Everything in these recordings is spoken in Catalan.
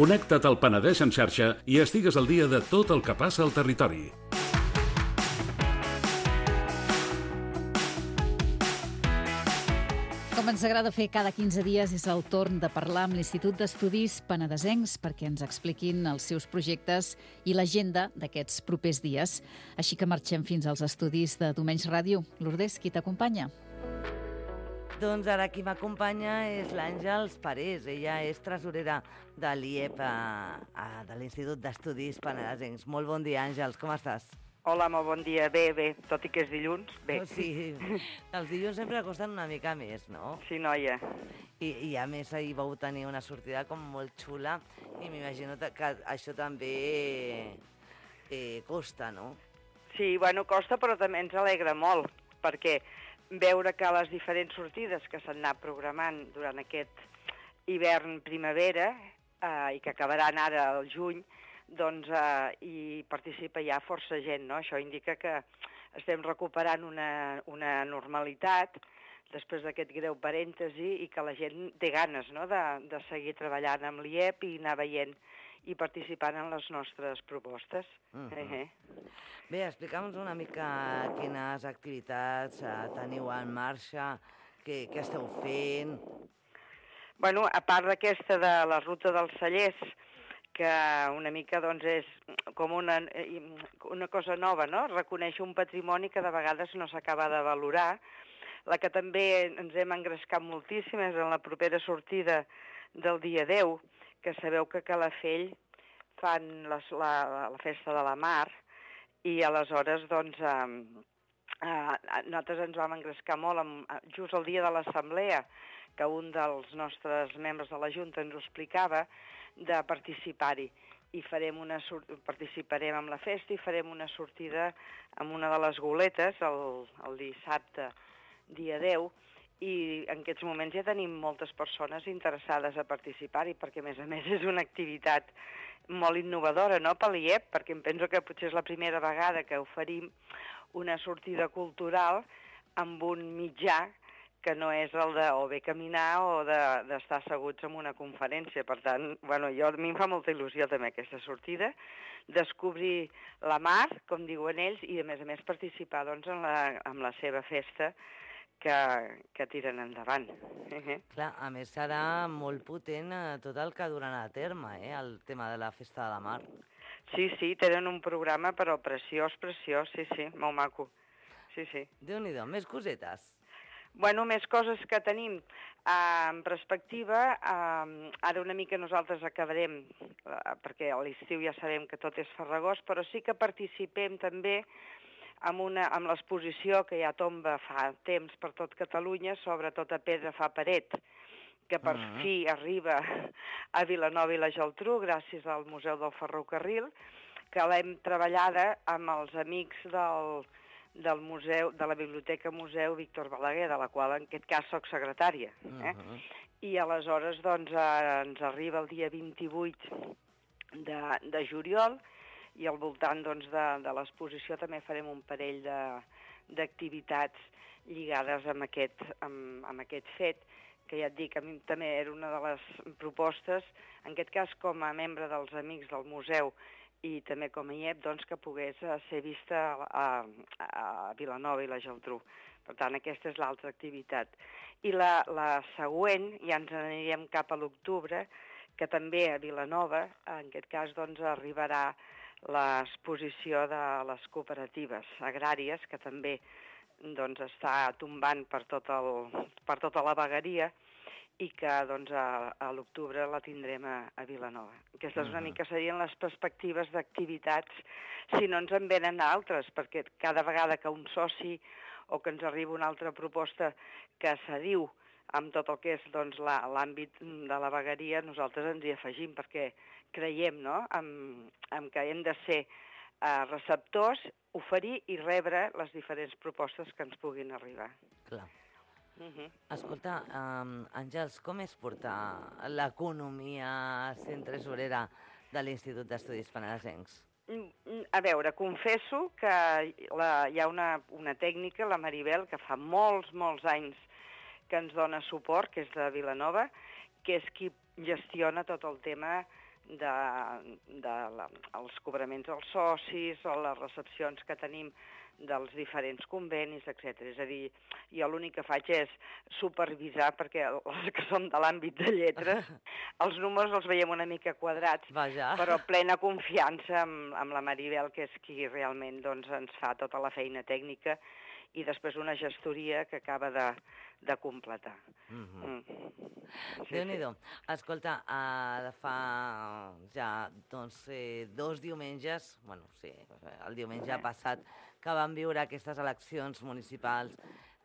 Connecta't al Penedès en xarxa i estigues al dia de tot el que passa al territori. Com ens agrada fer cada 15 dies, és el torn de parlar amb l'Institut d'Estudis Penedesencs perquè ens expliquin els seus projectes i l'agenda d'aquests propers dies. Així que marxem fins als estudis de Domenys Ràdio. Lourdes, qui t'acompanya? Doncs ara qui m'acompanya és l'Àngels Parés. Ella és tresorera de l'IEP, de l'Institut d'Estudis Penedesencs. Molt bon dia, Àngels, com estàs? Hola, molt bon dia. Bé, tot i que és dilluns, bé. Sí, els dilluns sempre costen una mica més, no? Sí, noia. I a més ahir vau tenir una sortida com molt xula i m'imagino que això també costa, no? Sí, bueno, costa, però també ens alegra molt, perquè veure que les diferents sortides que s'han anat programant durant aquest hivern-primavera i que acabaran ara al juny, doncs hi participa ja força gent, no? Això indica que estem recuperant una normalitat després d'aquest greu parèntesi i que la gent té ganes, no?, de seguir treballant amb l'IEP i anar veient i participant en les nostres propostes. Bé, explica'ns una mica quines activitats teniu en marxa, què esteu fent. Bueno, a part d'aquesta de la ruta dels cellers, que una mica doncs és com una cosa nova, no? Reconèixer un patrimoni que de vegades no s'acaba de valorar. La que també ens hem engrescat moltíssim és en la propera sortida del dia 10, que sabeu que a Calafell fan la festa de la mar i aleshores doncs nosaltres ens vam engrescar molt just el dia de l'assemblea, que un dels nostres membres de la Junta ens ho explicava, de participar-hi. I participarem en la festa i farem una sortida amb una de les goletes el dissabte, dia 10, i en aquests moments ja tenim moltes persones interessades a participar-hi, perquè a més és una activitat molt innovadora, no?, per l'IEP, perquè em penso que potser és la primera vegada que oferim una sortida cultural amb un mitjà que no és el de o bé caminar o d'estar asseguts en una conferència. Per tant, bueno, a mi em fa molta il·lusió també aquesta sortida, descobrir la mar, com diuen ells, i a més participar doncs, en la seva festa que tiren endavant. Clar, a més serà molt potent tot el que duran a terme, el tema de la festa de la mar. Sí, tenen un programa, però preciós, sí, molt maco. Sí. Déu-n'hi-do, més cosetes. Bueno, més coses que tenim en perspectiva. Ara una mica nosaltres acabarem, perquè a l'estiu ja sabem que tot és farragós, però sí que participem també amb l'exposició que ja tomba fa temps per tot Catalunya sobre Tota pedra fa paret, que per fi arriba a Vilanova i la Geltrú gràcies al Museu del Ferrocarril, que l'hem treballada amb els amics del museu, de la Biblioteca Museu Víctor Balaguer, de la qual en aquest cas soc secretària. I aleshores doncs ens arriba el dia 28 de juliol, i al voltant doncs, de l'exposició també farem un parell d'activitats lligades amb aquest fet, que ja et dic, a mi també era una de les propostes, en aquest cas com a membre dels Amics del Museu i també com a IEP, doncs, que pogués ser vista a Vilanova i la Geltrú. Per tant, aquesta és l'altra activitat. I la següent, ja ens anirem cap a l'octubre, que també a Vilanova, en aquest cas, doncs, arribarà l'exposició de les cooperatives agràries, que també doncs, està tombant per tota la vegueria i que doncs, a l'octubre la tindrem a Vilanova. Aquestes una mica serien les perspectives d'activitats, si no ens en venen altres, perquè cada vegada que un soci o que ens arriba una altra proposta que s'adiu amb tot el que és doncs, l'àmbit de la vegueria, nosaltres ens hi afegim, perquè creiem, no?, en que hem de ser receptors, oferir i rebre les diferents propostes que ens puguin arribar. Clar. Escolta, Àngels, com és portar l'economia sent tresorera de l'Institut d'Estudis Penedesencs? A veure, confesso que hi ha una tècnica, la Maribel, que fa molts anys que ens dona suport, que és de Vilanova, que és qui gestiona tot el tema dels cobraments als socis o les recepcions que tenim dels diferents convenis, etc. És a dir, jo l'únic que faig és supervisar, perquè els que som de l'àmbit de lletres, els números els veiem una mica quadrats, però plena confiança amb la Maribel, que és qui realment ens fa tota la feina tècnica, i després una gestoria que acaba de completar. Déu-n'hi-do. Escolta, fa ja 2 diumenges, el diumenge passat, que vam viure aquestes eleccions municipals,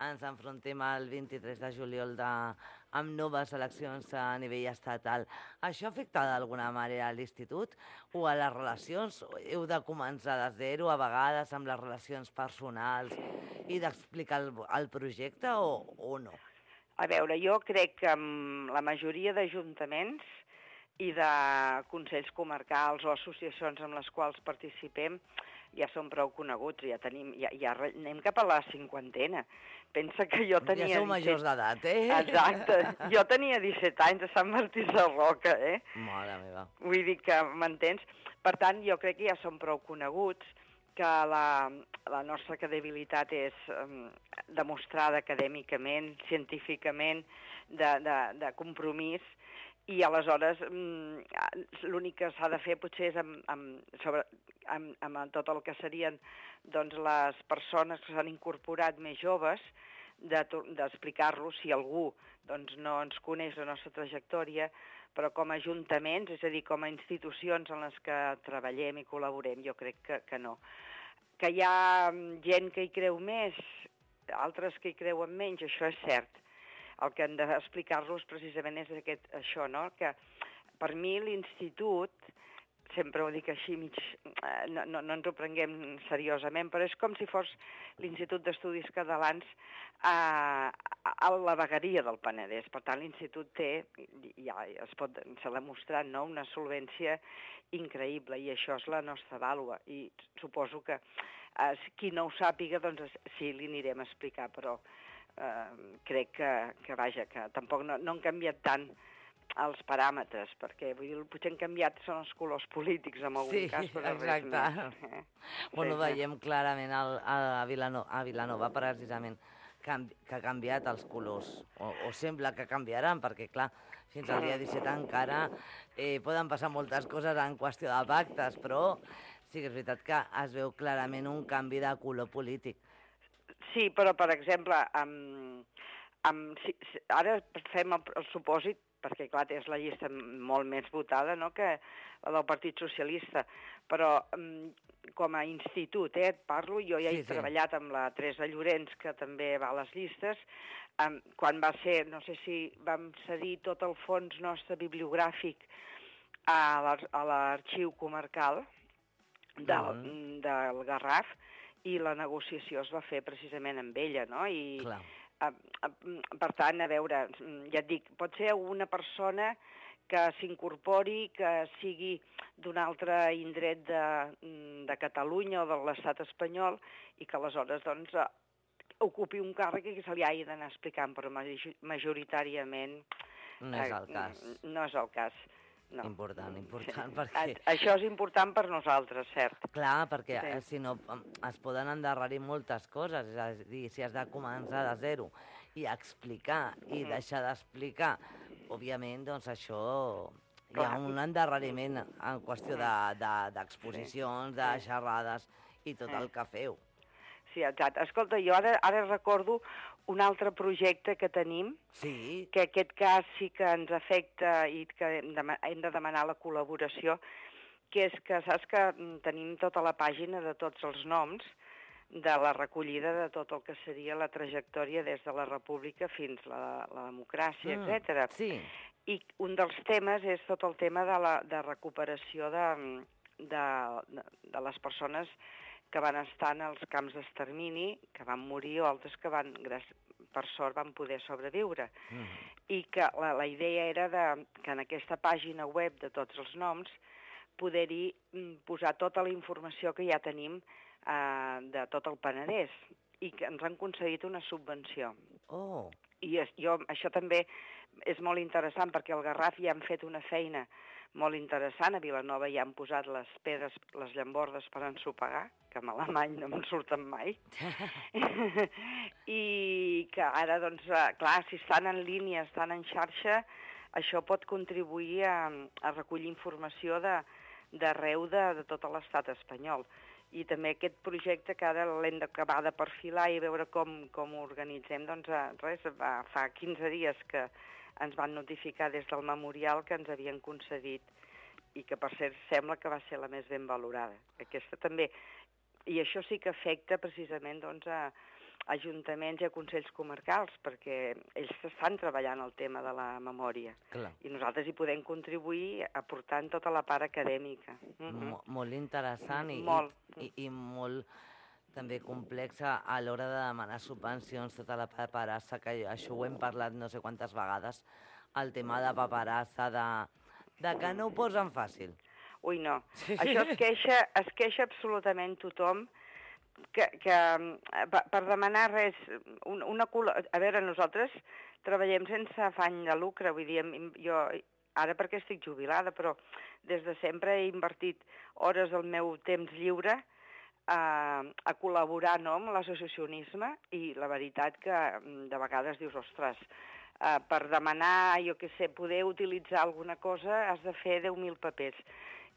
ens enfrontem al 23 de juliol amb noves eleccions a nivell estatal. Això afecta d'alguna manera a l'institut o a les relacions? Heu de començar de zero a vegades amb les relacions personals i d'explicar el projecte o no? A veure, jo crec que amb la majoria d'ajuntaments i de consells comarcals o associacions amb les quals participem ja són prou coneguts, ja anem cap a la 50ena. Pensa que jo tenia... Ja sou majors d'edat, Exacte. Jo tenia 17 anys a Sant Martí Sarroca, Mare meva. Vull dir que m'entens? Per tant, jo crec que ja són prou coneguts, que la nostra credibilitat és demostrada acadèmicament, científicament, de compromís, i aleshores l'únic que s'ha de fer potser és amb tot el que serien les persones que s'han incorporat més joves, d'explicar-los si algú no ens coneix la nostra trajectòria, però com a ajuntaments, és a dir, com a institucions en les que treballem i col·laborem, jo crec que no. Que hi ha gent que hi creu més, altres que hi creuen menys, això és cert. El que hem d'explicar-los precisament és això, no? Que per mi l'institut, sempre ho dic així, no ens ho prenguem seriosament, però és com si fos l'Institut d'Estudis Catalans a la vegueria del Penedès. Per tant, l'institut té, ja s'ha demostrat, una solvència increïble, i això és la nostra vàlua. I suposo que qui no ho sàpiga, sí, li anirem a explicar, però crec que tampoc no han canviat tant els paràmetres, perquè potser han canviat són els colors polítics en algun cas, però res més. Bueno, veiem clarament a Vilanova precisament que ha canviat els colors, o sembla que canviaran, perquè clar, fins al dia 17 encara poden passar moltes coses en qüestió de pactes, però sí que és veritat que es veu clarament un canvi de color polític. Sí, però, per exemple, ara fem el supòsit, perquè, clar, és la llista molt més votada que la del Partit Socialista, però com a institut, et parlo, jo ja he treballat amb la Teresa Llorenç, que també va a les llistes, quan va ser, no sé si vam cedir tot el fons nostre bibliogràfic a l'arxiu comarcal del Garraf, i la negociació es va fer precisament amb ella, no? I, per tant, a veure, ja et dic, pot ser una persona que s'incorpori, que sigui d'un altre indret de Catalunya o de l'estat espanyol, i que aleshores, ocupi un càrrec i que se li hagi d'anar explicant, però majoritàriament no és el cas. No és el cas. No. Important, perquè... Això és important per nosaltres, cert. Clar, perquè si no es poden endarrerir moltes coses, és a dir, si has de començar de zero i explicar i deixar d'explicar, òbviament, doncs això hi ha un endarreriment en qüestió d'exposicions, de xerrades i tot el que feu. Sí, exacte. Escolta, jo ara recordo un altre projecte que tenim, que aquest cas sí que ens afecta i que hem de demanar la col·laboració, que és que saps que tenim tota la pàgina de tots els noms de la recollida de tot el que seria la trajectòria des de la República fins a la democràcia, etc. I un dels temes és tot el tema de recuperació de les persones que van estar en els camps d'extermini, que van morir, o altres que van per sort van poder sobreviure. I que la idea era que en aquesta pàgina web de tots els noms poder-hi posar tota la informació que ja tenim de tot el Penedès i que ens han concedit una subvenció. Oh. I això també és molt interessant perquè al Garraf ja han fet una feina molt interessant. A Vilanova ja han posat les pedres, les llambordes per ensopegar, que en alemany no me'n surten mai. I que ara, doncs, clar, si estan en línia, estan en xarxa, això pot contribuir a recollir informació d'arreu de tot l'estat espanyol. I també aquest projecte que ara l'hem d'acabar de perfilar i veure com ho organitzem, doncs fa 15 dies que ens van notificar des del memorial que ens havien concedit i que per cert sembla que va ser la més ben valorada. Aquesta també. I això sí que afecta precisament doncs, a ajuntaments i a consells comarcals, perquè ells estan treballant el tema de la memòria. Clar. I nosaltres hi podem contribuir aportant tota la part acadèmica. Molt interessant i molt també complexa a l'hora de demanar subvencions, tota la paperassa, que això ho hem parlat no sé quantes vegades, el tema de paperassa, de que no ho posen fàcil. Ui, no. Això es queixa absolutament tothom, que per demanar res, a veure, nosaltres treballem sense afany de lucre, vull dir, jo ara perquè estic jubilada, però des de sempre he invertit hores del meu temps lliure a col·laborar amb l'associacionisme i la veritat que de vegades dius, ostres, per demanar, jo què sé, poder utilitzar alguna cosa has de fer 10.000 papers.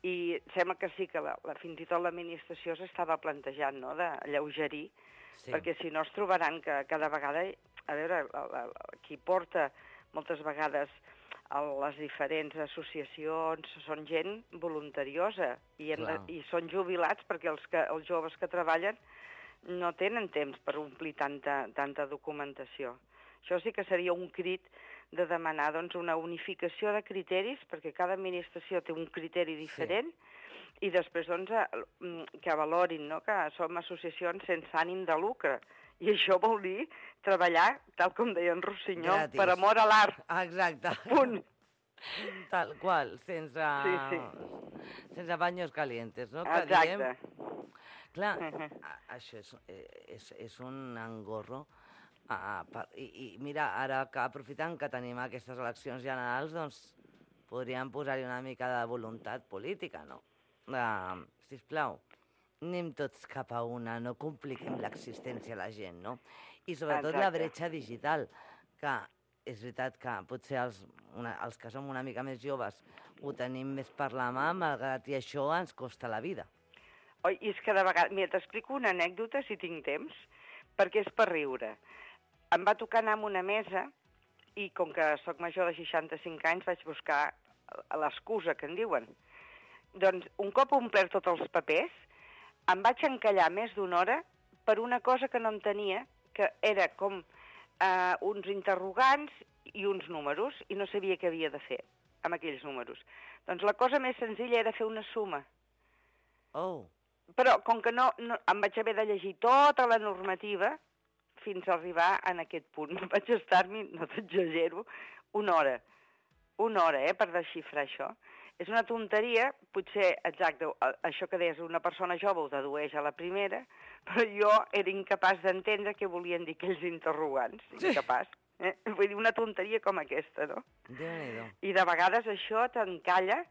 I sembla que sí que fins i tot l'administració s'estava plantejant d'alleugerir, perquè si no es trobaran que cada vegada, a veure, qui porta moltes vegades les diferents associacions són gent voluntariosa i són jubilats perquè els joves que treballen no tenen temps per omplir tanta documentació. Això sí que seria un crit de demanar una unificació de criteris, perquè cada administració té un criteri diferent, i després que valorin que som associacions sense ànim de lucre. I això vol dir treballar, tal com deia en Rossinyol, per amor a l'art. Exacte. Punt. Tal qual, sense baños calientes, no? Exacte. Clar, això és un engorro. I mira, ara que aprofitant que tenim aquestes eleccions generals, doncs podríem posar-hi una mica de voluntat política, no? Sisplau, anem tots cap a una, no compliquem l'existència a la gent, no? I sobretot la bretxa digital, que és veritat que potser els que som una mica més joves ho tenim més per la mà, malgrat i això ens costa la vida. Oi, i és que de vegades... Mira, t'explico una anècdota, si tinc temps, perquè és per riure. Em va tocar anar a una mesa i com que sóc major de 65 anys vaig buscar l'excusa que en diuen. Doncs un cop omplert tots els papers em vaig encallar més d'una hora per una cosa que no entenia, que era com uns interrogants i uns números i no sabia què havia de fer amb aquells números. Doncs la cosa més senzilla era fer una suma. Oh. Però com que no em vaig haver de llegir tota la normativa fins a arribar en aquest punt. Vaig estar-m'hi, no t'exagero, una hora, per desxifrar això. És una tonteria, potser, exacte, això que deies, una persona jove ho dedueix a la primera, però jo era incapaç d'entendre què volien dir aquells interrogants, incapaç. Vull dir, una tonteria com aquesta, no? Déu-n'hi-do. I de vegades això t'encalla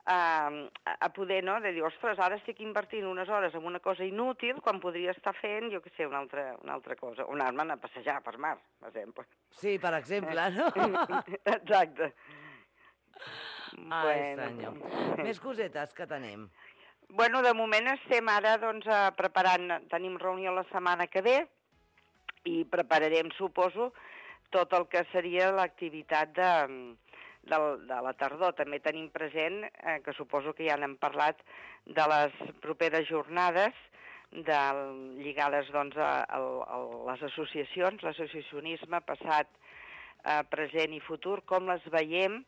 a poder, no?, de dir, ostres, ara estic invertint unes hores en una cosa inútil quan podria estar fent, jo què sé, una altra cosa, o anar-me'n a passejar per mar, per exemple. Sí, per exemple, no? Exacte. Ai, senyor. Més cosetes que tenim. Bueno, de moment estem ara, doncs, preparant, tenim reunió la setmana que ve i prepararem, suposo, tot el que seria l'activitat de la tardor. També tenim present, que suposo que ja n'hem parlat, de les properes jornades lligades doncs, a les associacions, l'associacionisme passat, present i futur, com les veiem.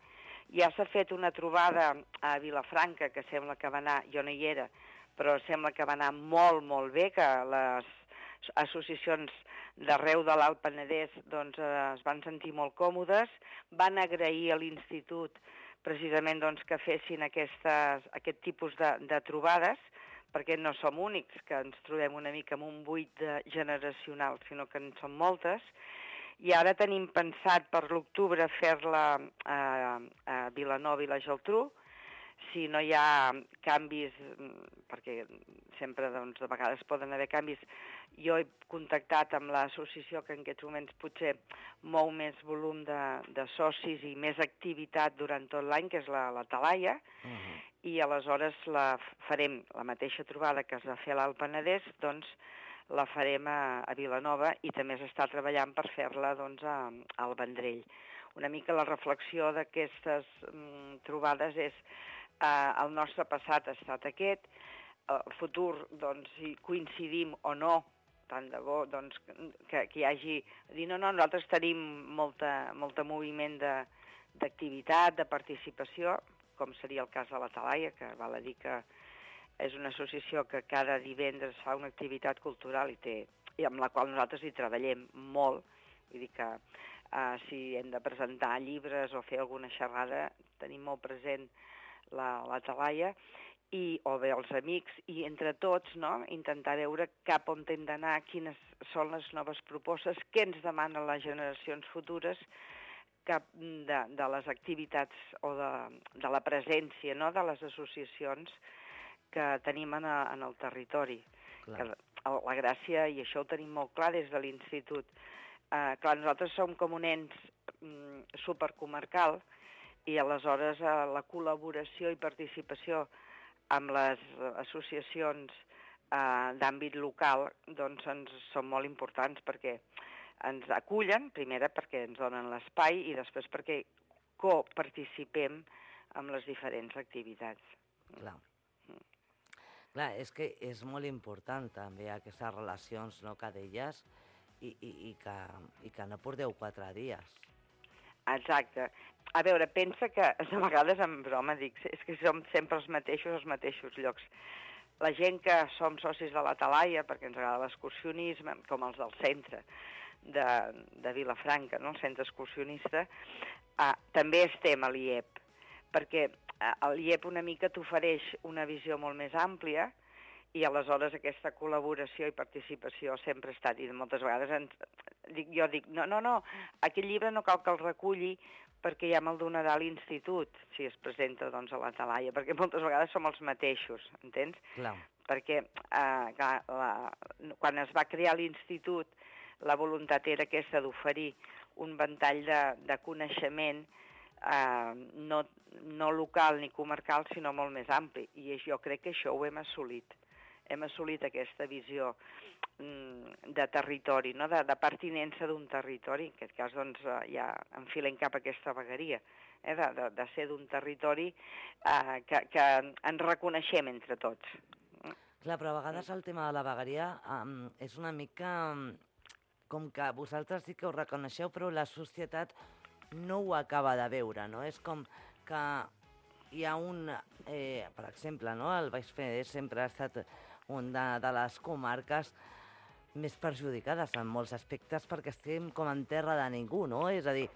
Ja s'ha fet una trobada a Vilafranca, que sembla que va anar, jo no hi era, però sembla que va anar molt, molt bé, que associacions d'arreu de l'Alt Penedès doncs, es van sentir molt còmodes, van agrair a l'Institut precisament doncs, que fessin aquest tipus de trobades, perquè no som únics, que ens trobem una mica amb un buit generacional, sinó que en són moltes, i ara tenim pensat per l'octubre fer-la a Vilanova i la Geltrú. Si no hi ha canvis, perquè sempre doncs, de vegades poden haver canvis, jo he contactat amb l'associació que en aquests moments potser mou més volum de socis i més activitat durant tot l'any, que és la Talaia, i aleshores farem la mateixa trobada que es va fer a l'Alt Penedès, doncs la farem a Vilanova, i també s'està treballant per fer-la doncs, al Vendrell. Una mica la reflexió d'aquestes trobades és el nostre passat ha estat aquest, el futur, doncs, si coincidim o no, tant de bo doncs, que hi hagi... Dir, no, nosaltres tenim molta moviment d'activitat, de participació, com seria el cas de la Talaia, que val a dir que és una associació que cada divendres fa una activitat cultural i amb la qual nosaltres hi treballem molt. Vull dir que si hem de presentar llibres o fer alguna xerrada, tenim molt present la Talaia, o bé els amics, i entre tots intentar veure cap on hem d'anar, quines són les noves propostes, què ens demanen les generacions futures, de les activitats o de la presència de les associacions que tenim en el territori. La gràcia, i això ho tenim molt clar des de l'Institut, clar, nosaltres som com un ens supercomarcal, i aleshores la col·laboració i participació amb les associacions d'àmbit local doncs són molt importants, perquè ens acullen, primera perquè ens donen l'espai i després perquè coparticipem amb les diferents activitats. Clar, és que és molt important també aquestes relacions que deies i que no porteu 4 dies. Exacte. A veure, pensa que de vegades en broma dic, és que som sempre els mateixos llocs. La gent que som socis de la Talaia, perquè ens agrada l'excursionisme, com els del centre de Vilafranca, el centre excursionista, també estem a l'IEP, perquè l'IEP una mica t'ofereix una visió molt més àmplia, i aleshores aquesta col·laboració i participació sempre ha estat, i moltes vegades jo dic, no, aquest llibre no cal que el reculli perquè ja me'l donarà a l'Institut, si es presenta doncs, a la Talaia, perquè moltes vegades som els mateixos, entens? Clar. Perquè quan es va crear l'Institut, la voluntat era aquesta d'oferir un ventall de coneixement no local ni comarcal, sinó molt més ampli. I jo crec que això ho hem assolit. Hem assolit aquesta visió de territori, de pertinença d'un territori. En aquest cas doncs, ja enfilem cap a aquesta vegueria, de ser d'un territori que ens reconeixem entre tots. Clar, però a vegades el tema de la vegueria és una mica com que vosaltres sí que ho reconeixeu, però la societat no ho acaba de veure, no? És com que hi ha per exemple, el Baix Penedès sempre ha estat una de les comarques més perjudicades en molts aspectes perquè estem com en terra de ningú, no? És a dir,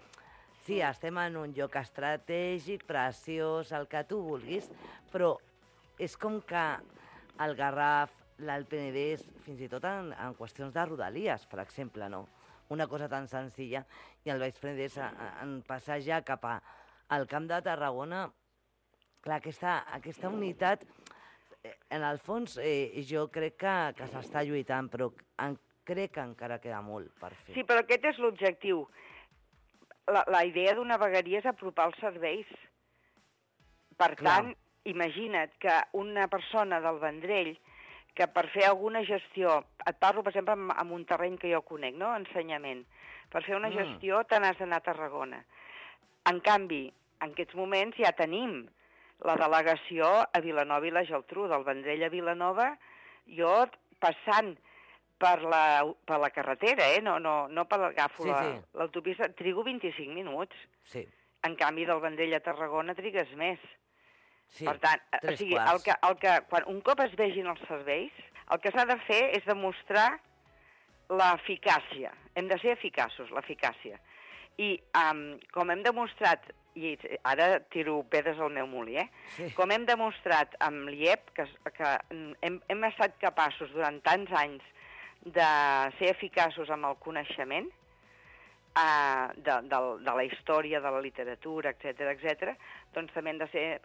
sí, estem en un lloc estratègic, preciós, el que tu vulguis, però és com que el Garraf, l'Alt Penedès, fins i tot en qüestions de rodalies, per exemple, no? Una cosa tan senzilla, i el Baix Penedès en passar ja cap al Camp de Tarragona, clar, aquesta unitat, en el fons, jo crec que s'està lluitant, però crec que encara queda molt per fer. Sí, però aquest és l'objectiu. La idea d'una vegueria és apropar els serveis. Per tant, imagina't que una persona del Vendrell que per fer alguna gestió, et parlo, per exemple, en un terreny que jo conec, no?, ensenyament, per fer una gestió te n'has d'anar a Tarragona. En canvi, en aquests moments ja tenim la delegació a Vilanova i la Geltrú, del Vendrell a Vilanova, jo passant per la carretera, no per agafo l'autopista, trigo 25 minuts. Sí. En canvi, del Vendrell a Tarragona trigues més. Sí, per tant, o sigui, quan un cop es vegin els serveis, el que s'ha de fer és demostrar l'eficàcia. Hem de ser eficaços, l'eficàcia. I com hem demostrat, i ara tiro pedres al meu molí, Sí. com hem demostrat amb l'IEP, que hem estat capaços durant tants anys de ser eficaços amb el coneixement de la història, de la literatura, etc., doncs també hem de ser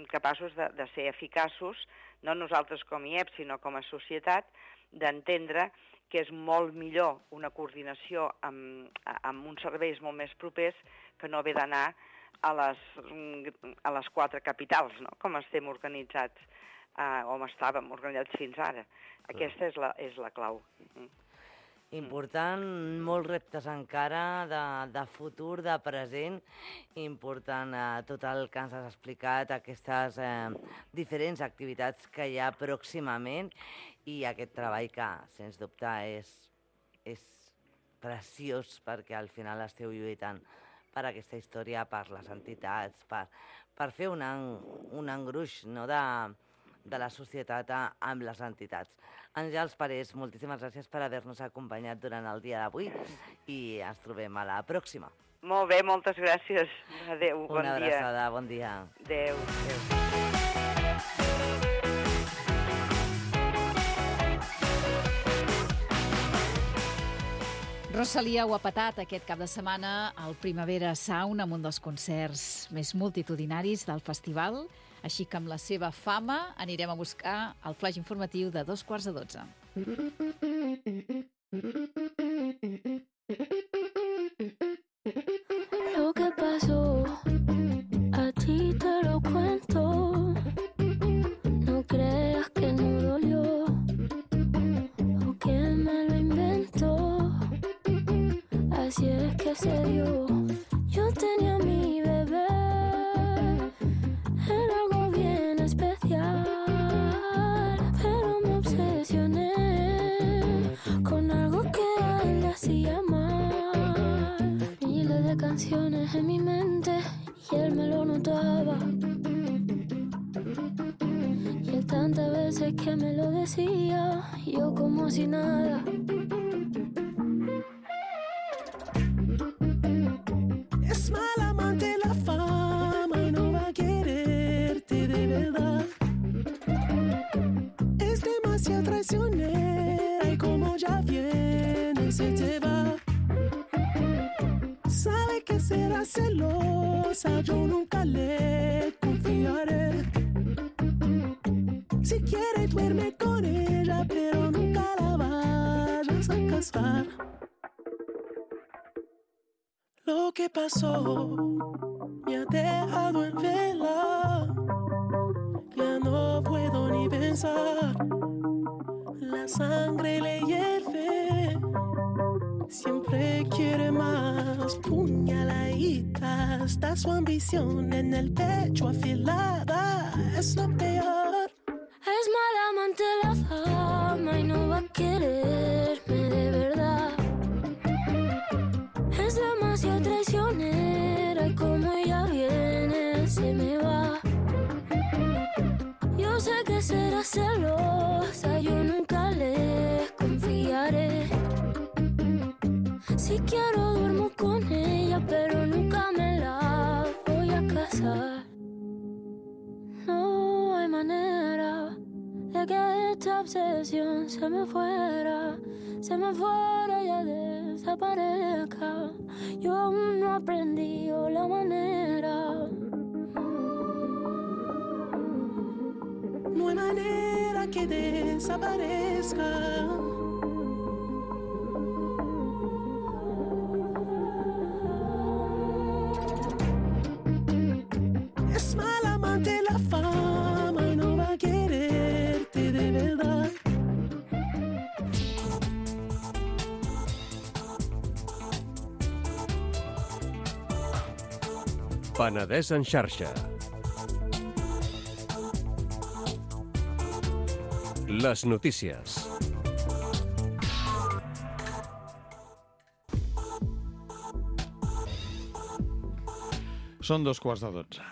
capaços de ser eficaços, no nosaltres com IEP, sinó com a societat, d'entendre que és molt millor una coordinació amb uns serveis molt més propers que no haver d'anar a les 4 capitals, no? Com estem organitzats, com estàvem organitzats fins ara. Aquesta és la clau. Important, molts reptes encara de futur, de present, important tot el que ens has explicat, aquestes diferents activitats que hi ha pròximament i aquest treball que, sens dubte, és preciós perquè al final esteu lluitant per aquesta història, per les entitats, per fer un engruix, no, de la societat amb les entitats. Àngels Parés, moltíssimes gràcies per haver-nos acompanyat durant el dia d'avui i ens trobem a la pròxima. Molt bé, moltes gràcies. Adéu, bon dia. Una abraçada, bon dia. Adéu, adéu. Rosalia ho ha patat aquest cap de setmana al Primavera Sound amb un dels concerts més multitudinaris del festival. Així que amb la seva fama anirem a buscar el flaix informatiu de 11:15. Lo que pasó, a ti te lo cuento. No creas que no dolió o que me lo inventó. Así es que se dio. Yo tenía a mi bebé. Era algo bien especial, pero me obsesioné con algo que a él le hacía mal. Miles de canciones en mi mente y él me lo notaba. Y él tantas veces que me lo decía, yo como si nada. Es mal amante la fama y no va a quererte de verdad. Es demasiado traicionera y como ya viene se te va. Sabe que será celosa, yo nunca le confiaré. Si quiere duerme con ella, pero nunca la vayas a casar. Lo que pasó me ha dejado en vela. Ya no puedo ni pensar. La sangre le hierve. Siempre quiere más. Puñaladita. Está su ambición en el pecho afilada. Es lo peor. Es mala amante la fama y no va a quererme de verdad. Es demasiado traicionera y como ella viene se me va. Yo sé que será celosa, yo nunca le confiaré. Si quiero duermo con ella, pero nunca me la voy a casar. No hay manera de que esta obsesión se me fuera y ya desaparezca. Yo aún no aprendí la manera. No hay manera que desaparezca. Es mal amante la fama y no va a quererte de verdad. Penedès en xarxa. Les notícies. Són 12:15.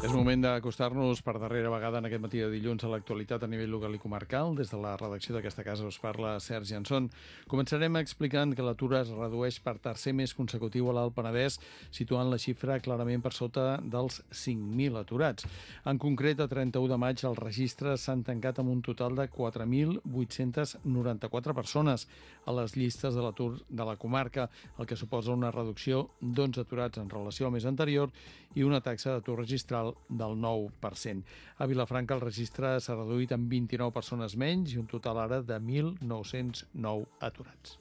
És moment d'acostar-nos per darrera vegada en aquest matí de dilluns a l'actualitat a nivell local i comarcal. Des de la redacció d'aquesta casa us parla Sergi Anson. Començarem explicant que l'atur es redueix per tercer mes consecutiu a l'Alt Penedès, situant la xifra clarament per sota dels 5.000 aturats. En concret, a 31 de maig, els registres s'han tancat amb un total de 4.894 persones a les llistes de l'atur de la comarca, el que suposa una reducció d'11 aturats en relació al mes anterior i una taxa d'atur registral del 9%. A Vilafranca el registre s'ha reduït en 29 persones menys i un total ara de 1.909 aturats.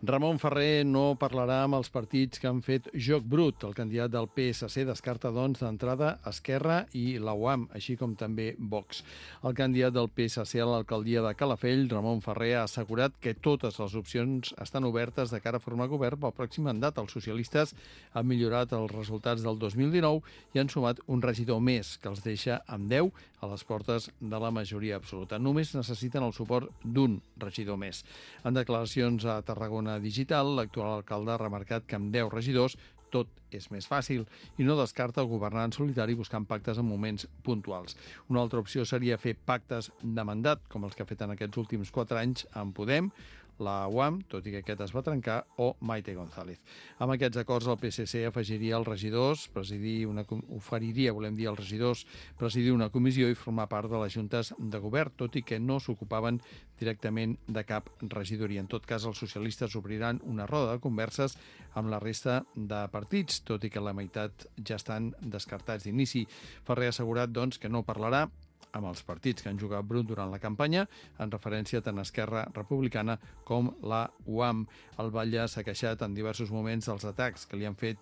Ramon Ferrer no parlarà amb els partits que han fet joc brut. El candidat del PSC descarta, doncs, d'entrada Esquerra i la UAM, així com també Vox. El candidat del PSC a l'alcaldia de Calafell, Ramon Ferrer, ha assegurat que totes les opcions estan obertes de cara a formar govern pel pròxim mandat. Els socialistes han millorat els resultats del 2019 i han sumat un regidor més, que els deixa amb 10 a les portes de la majoria absoluta. Només necessiten el suport d'un regidor més. En declaracions a Tarragona Digital, l'actual alcalde ha remarcat que amb 10 regidors tot és més fàcil i no descarta governar en solitari buscant pactes en moments puntuals. Una altra opció seria fer pactes de mandat, com els que ha fet en aquests últims 4 anys amb Podem, la UAM, tot i que aquest es va trencar, o Maite González. Amb aquests acords, el PSC afegiria els regidors, oferiria als regidors presidir una comissió i formar part de les juntes de govern, tot i que no s'ocupaven directament de cap regidoria. En tot cas, els socialistes obriran una roda de converses amb la resta de partits, tot i que la meitat ja estan descartats d'inici. Ferrer ha assegurat, doncs, que no parlarà amb els partits que han jugat brut durant la campanya, en referència tant a Esquerra Republicana com la UAM. El batlle s'ha queixat en diversos moments dels atacs que li han fet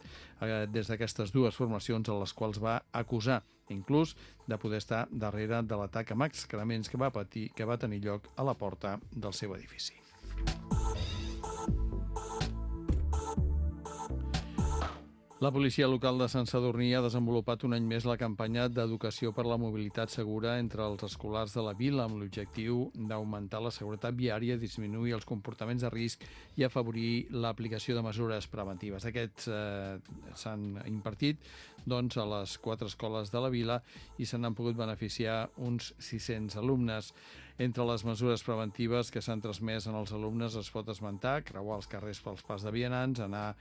des d'aquestes dues formacions, a les quals va acusar, inclús de poder estar darrere de l'atac amb excrements que va tenir lloc a la porta del seu edifici. La policia local de Sant Sadurní ha desenvolupat un any més la campanya d'educació per la mobilitat segura entre els escolars de la vila amb l'objectiu d'augmentar la seguretat viària, disminuir els comportaments de risc i afavorir l'aplicació de mesures preventives. Aquests s'han impartit doncs, a les 4 escoles de la vila i se n'han pogut beneficiar uns 600 alumnes. Entre les mesures preventives que s'han transmès en els alumnes es pot esmentar creuar els carrers pels pas de vianants, anar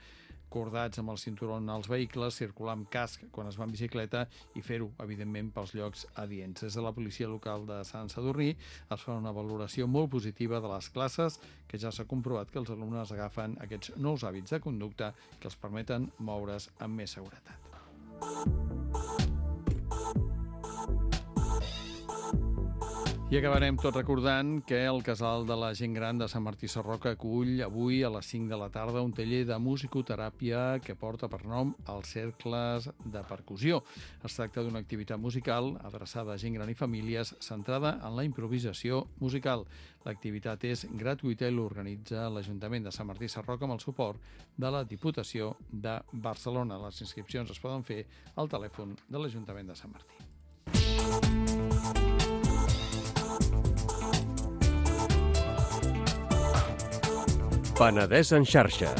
cordats amb el cinturó als vehicles, circular amb casc quan es va en bicicleta i fer-ho, evidentment, pels llocs adients. Des de la policia local de Sant Sadurní es fa una valoració molt positiva de les classes, que ja s'ha comprovat que els alumnes agafen aquests nous hàbits de conducta que els permeten moure's amb més seguretat. I acabarem tot recordant que el Casal de la Gent Gran de Sant Martí Sarroca acull avui a les 5 de la tarda un taller de musicoteràpia que porta per nom els cercles de percussió. Es tracta d'una activitat musical adreçada a gent gran i famílies centrada en la improvisació musical. L'activitat és gratuïta i l'organitza l'Ajuntament de Sant Martí Sarroca amb el suport de la Diputació de Barcelona. Les inscripcions es poden fer al telèfon de l'Ajuntament de Sant Martí. Penedès en xarxa.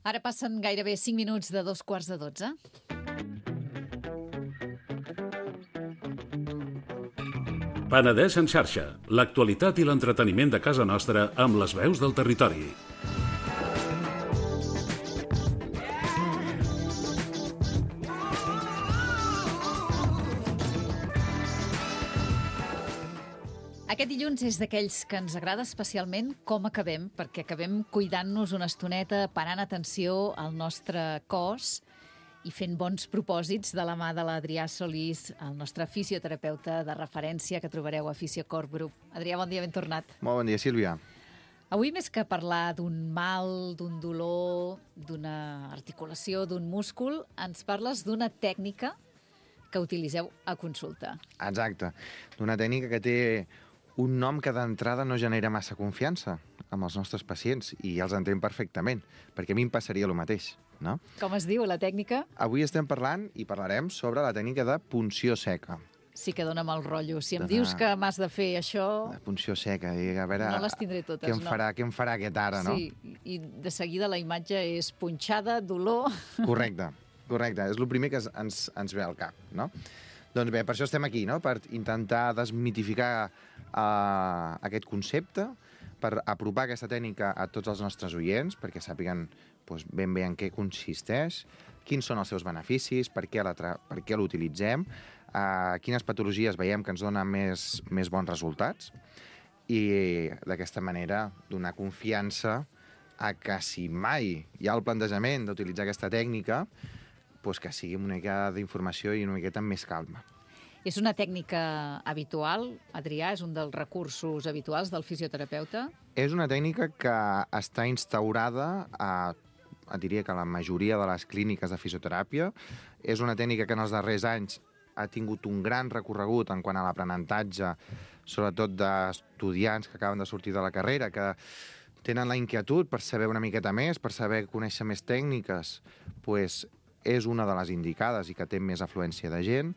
Ara passen gairebé 5 minuts de 12:15. Penedès en xarxa. L'actualitat i l'entreteniment de casa nostra amb les veus del territori. Aquest dilluns és d'aquells que ens agrada especialment com acabem, perquè acabem cuidant-nos una estoneta, parant atenció al nostre cos i fent bons propòsits de la mà de l'Adrià Solís, el nostre fisioterapeuta de referència que trobareu a Fisiocorp Group. Adrià, bon dia, ben tornat. Molt bon dia, Sílvia. Avui, més que parlar d'un mal, d'un dolor, d'una articulació, d'un múscul, ens parles d'una tècnica que utilitzeu a consulta. Exacte. D'una tècnica que té un nom que d'entrada no genera massa confiança amb els nostres pacients, i ja els entenc perfectament, perquè a mi em passaria el mateix, no? Com es diu la tècnica? Avui estem parlant i parlarem sobre la tècnica de punció seca. sí que dona mal rotllo. Si em dius que m'has de fer això... La punció seca, i a veure... No les tindré totes, què em farà aquest ara, no? Sí, i de seguida la imatge és punxada, dolor... Correcte. És el primer que ens ve al cap, no? Doncs bé, per això estem aquí, no? Per intentar desmitificar aquest concepte, per apropar aquesta tècnica a tots els nostres oients, perquè sàpiguen ben bé en què consisteix, quins són els seus beneficis, per què l'utilitzem, quines patologies veiem que ens donen més bons resultats, i d'aquesta manera donar confiança a que si mai hi ha el plantejament d'utilitzar aquesta tècnica, que sigui una mica d'informació i una miqueta amb més calma. És una tècnica habitual, Adrià? És un dels recursos habituals del fisioterapeuta? És una tècnica que està instaurada diria que a la majoria de les clíniques de fisioteràpia. És una tècnica que en els darrers anys ha tingut un gran recorregut en quant a l'aprenentatge, sobretot d'estudiants que acaben de sortir de la carrera, que tenen la inquietud per saber una miqueta més, per saber conèixer més tècniques, és una de les indicades i que té més afluència de gent.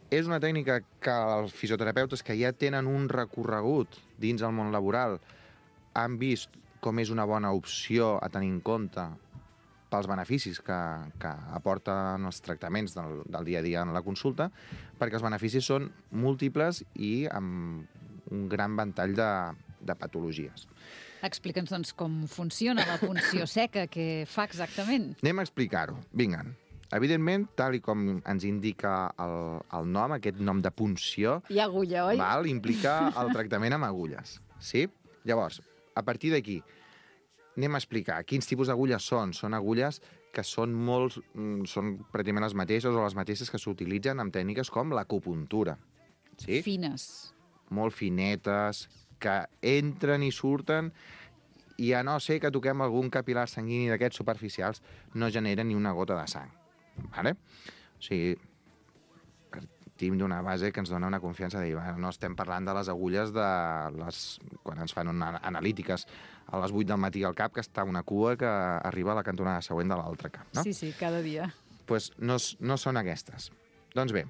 És una tècnica que els fisioterapeutes que ja tenen un recorregut dins el món laboral han vist com és una bona opció a tenir en compte pels beneficis que aporten els tractaments del dia a dia en la consulta, perquè els beneficis són múltiples i amb un gran ventall de patologies. Explica'ns, doncs, com funciona la punció seca, què fa exactament? Anem a explicar-ho. Vinga. Evidentment, tal com ens indica el nom, aquest nom de punció... Hi ha agulla, oi? Implica el tractament amb agulles. Sí? Llavors, a partir d'aquí, anem a explicar quins tipus d'agulles són. Són agulles que són pràcticament les mateixes o les mateixes que s'utilitzen amb tècniques com l'acupuntura. Sí? Fines. Molt finetes, que entren i surten, i a no ser que toquem algun capil·lar sanguini d'aquests superficials, no genera ni una gota de sang. Vale? O sigui, partim d'una base que ens dona una confiança de dir, no estem parlant de les agulles quan ens fan analítiques a les 8 del matí al cap, que està una cua que arriba a la cantonada següent de l'altre cap, no? Sí, cada dia. Doncs no són aquestes. Doncs bé,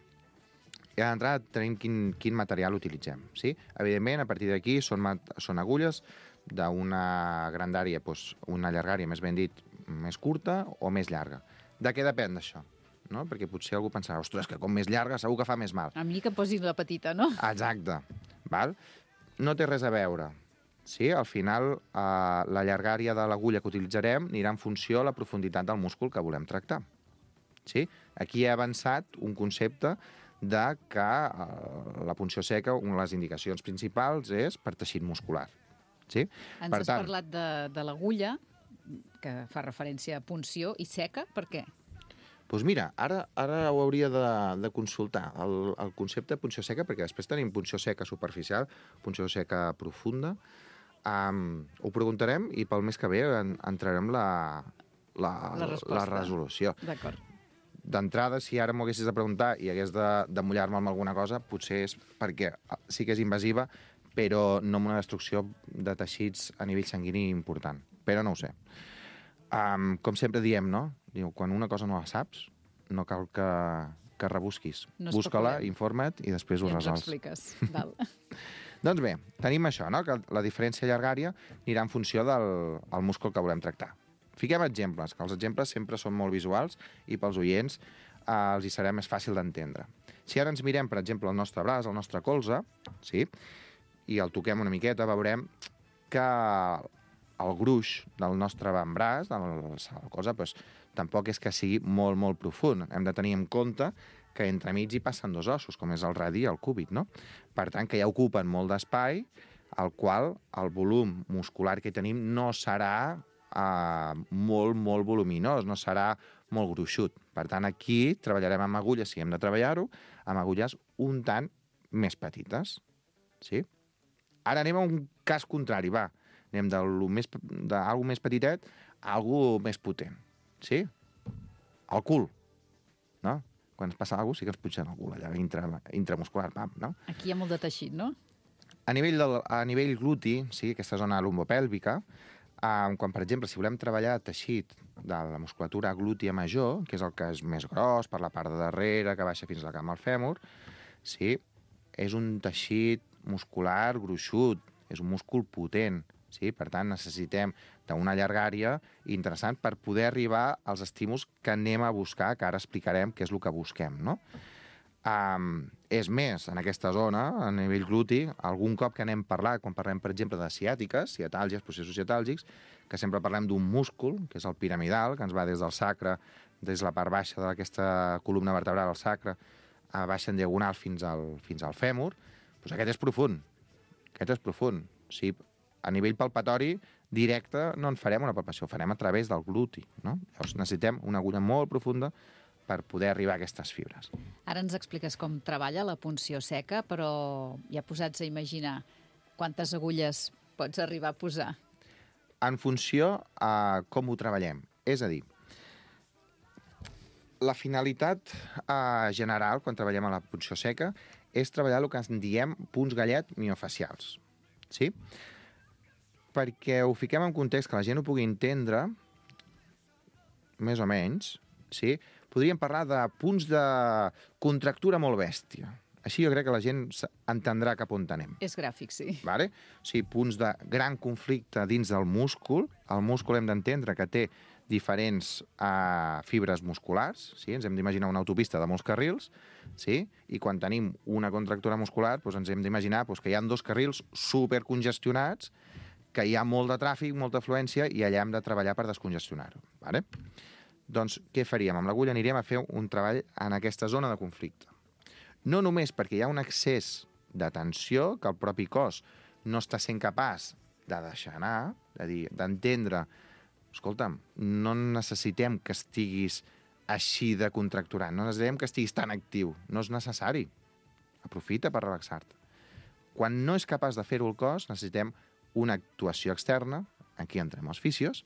ja d'entrada tenim quin material utilitzem, sí? Evidentment, a partir d'aquí són agulles d'una grandària, una llargària, més ben dit, més curta o més llarga. De què depèn d'això? No? Perquè potser algú pensarà, ostres, que com més llarga segur que fa més mal. A mi que posis la petita, no? Exacte. Val? No té res a veure. Sí? Al final, la llargària de l'agulla que utilitzarem anirà en funció a la profunditat del múscul que volem tractar. Sí? Aquí he avançat un concepte de que la punció seca, una de les indicacions principals és per teixit muscular. Sí? Ens has parlat de l'agulla, que fa referència a punció, i seca, per què? Doncs mira, ara ho hauria de consultar, el concepte de punció seca, perquè després tenim punció seca superficial, punció seca profunda. Ho preguntarem i pel mes que ve entrarem la resolució. D'acord. D'entrada, si ara m'ho haguessis de preguntar i hagués de mullar-me amb alguna cosa, potser és perquè sí que és invasiva, però no amb una destrucció de teixits a nivell sanguini important. Però no ho sé. Com sempre diem, no? Diu, quan una cosa no la saps, no cal que rebusquis. No busca-la, informa't i després ho resols. I ens ho expliques. Val. Doncs bé, tenim això, no? Que la diferència llargària anirà en funció del múscul que volem tractar. Fiquem exemples, que els exemples sempre són molt visuals i pels oients els hi serà més fàcil d'entendre. Si ara ens mirem, per exemple, el nostre braç, el nostre colze, sí? I el toquem una miqueta, veurem que el gruix del nostre avantbraç, de la cosa, tampoc és que sigui molt, molt profund. Hem de tenir en compte que entremig hi passen dos ossos, com és el radi i el cúbit, no? Per tant, que ja ocupen molt d'espai, al qual el volum muscular que tenim no serà molt, molt voluminós, no serà molt gruixut. Per tant, aquí treballarem amb agulles, si hem de treballar-ho, amb agulles un tant més petites. Sí? Ara anem a un cas contrari, va. Anem d'algú més petitet a algú més potent. Sí? El cul. No? Quan ens passa alguna cosa, sí que ens punxen el cul, allà intramuscular, no? Aquí hi ha molt de teixit, no? A nivell gluti, sí, aquesta zona lumbopèlvica, quan, per exemple, si volem treballar teixit de la musculatura glútia major, que és el que és més gros, per la part de darrere, que baixa fins a la cama al fèmur, sí, és un teixit muscular gruixut, és un múscul potent, sí? Per tant, necessitem d'una llargària interessant per poder arribar als estímuls que anem a buscar, que ara explicarem què és el que busquem, no? És més, en aquesta zona, a nivell gluti, algun cop que anem parlat, quan parlem, per exemple, de ciàtiques, ciatàlgies, processos ciatàlgics, que sempre parlem d'un múscul, que és el piramidal, que ens va des del sacre, des de la part baixa d'aquesta columna vertebral al sacre, a baixa en diagonal fins al fèmur, doncs aquest és profund. Aquest és profund. Sí, a nivell palpatori directe no en farem una palpació, ho farem a través del gluti, no? Llavors necessitem una agulla molt profunda per poder arribar a aquestes fibres. Ara ens expliques com treballa la punció seca, però ja posats a imaginar quantes agulles pots arribar a posar. En funció a com ho treballem. És a dir, la finalitat general, quan treballem a la punció seca, és treballar el que en diem punts gallet miofacials. Sí? Perquè ho fiquem en context que la gent ho pugui entendre, més o menys, sí? Podríem parlar de punts de contractura molt bèstia. Així jo crec que la gent entendrà cap on anem. És gràfic, sí. Vale? O sigui, punts de gran conflicte dins del múscul. El múscul hem d'entendre que té diferents fibres musculars, sí? Ens hem d'imaginar una autopista de molts carrils, sí? I quan tenim una contractura muscular doncs ens hem d'imaginar doncs, que hi ha 2 carrils supercongestionats, que hi ha molt de tràfic, molta afluència, i allà hem de treballar per descongestionar-ho. Vale? Doncs què faríem? Amb l'agulla aniríem a fer un treball en aquesta zona de conflicte. No només perquè hi ha un excés de tensió que el propi cos no està sent capaç de deixar anar, de dir, d'entendre, escolta'm, no necessitem que estiguis així de contracturant, no necessitem que estiguis tan actiu, no és necessari. Aprofita per relaxar-te. Quan no és capaç de fer-ho el cos, necessitem una actuació externa, aquí entrem els fisios,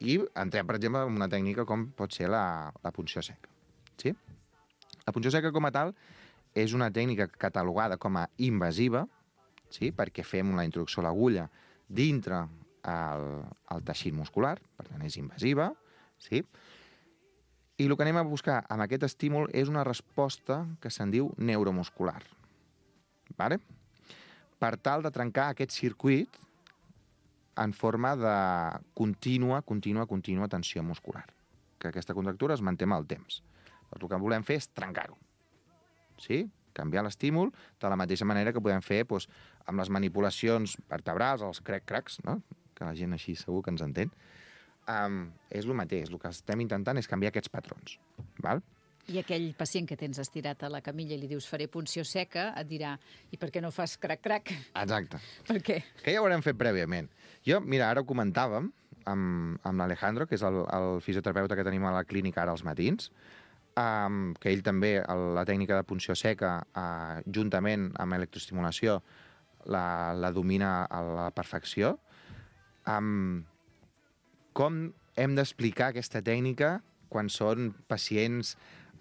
i entrem, per exemple, en una tècnica com pot ser la punció seca. Sí? La punció seca com a tal és una tècnica catalogada com a invasiva, sí? Perquè fem la introducció a l'agulla dintre el teixit muscular, per tant és invasiva, sí? I el que anem a buscar amb aquest estímul és una resposta que se'n diu neuromuscular. Vale? Per tal de trencar aquest circuit en forma de contínua tensió muscular. Que aquesta contractura es manté amb el temps. Doncs el que volem fer és trencar-ho. Sí? Canviar l'estímul de la mateixa manera que podem fer doncs, amb les manipulacions vertebrals, els crac-cracs, no? Que la gent així segur que ens entén. És el mateix. El que estem intentant és canviar aquests patrons. Val? I aquell pacient que tens estirat a la camilla i li dius faré punció seca, et dirà i per què no fas crac-crac? Exacte. Per què? Que ja ho haurem fet prèviament. Jo, mira, ara ho comentàvem amb l'Alejandro, que és el fisioterapeuta que tenim a la clínica ara als matins, que ell també, la tècnica de punció seca, juntament amb electroestimulació, la domina a la perfecció. Com hem d'explicar aquesta tècnica quan són pacients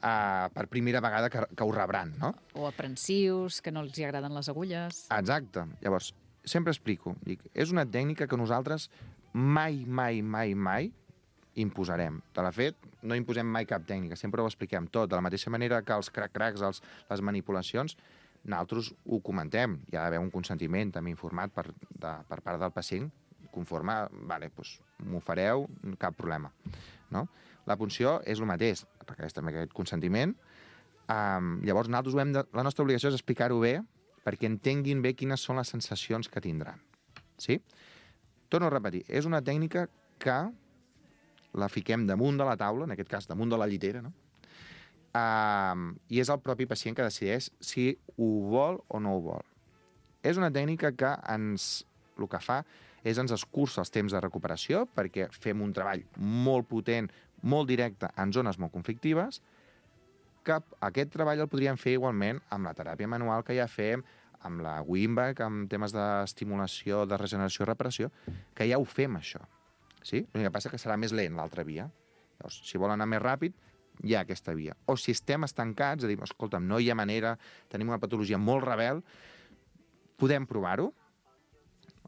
per primera vegada que ho rebran, no? O aprensius, que no els agraden les agulles. Exacte. Llavors, sempre explico. Dic, és una tècnica que nosaltres mai imposarem. De fet, no imposem mai cap tècnica, sempre ho expliquem tot. De la mateixa manera que els crac-cracs, les manipulacions, nosaltres ho comentem. Hi ha d'haver un consentiment també informat per part del pacient, conforme, vale, doncs m'ho fareu, cap problema. No? La punció és el mateix, requereix també aquest consentiment. Llavors, nosaltres la nostra obligació és explicar-ho bé perquè entenguin bé quines són les sensacions que tindran. Sí? Torno a repetir, és una tècnica que la fiquem damunt de la taula, en aquest cas damunt de la llitera, no? I és el propi pacient que decideix si ho vol o no ho vol. És una tècnica que el que fa és ens escurça els temps de recuperació perquè fem un treball molt potent, molt directe en zones molt conflictives, que aquest treball el podríem fer igualment amb la teràpia manual que ja fem, amb la Wimback, amb temes d'estimulació, de regeneració i reparació, que ja ho fem, això. Sí? L'únic que passa que serà més lent l'altra via. Llavors, si vol anar més ràpid, hi ha aquesta via. O si estem estancats, és a dir, escolta'm, no hi ha manera, tenim una patologia molt rebel, podem provar-ho?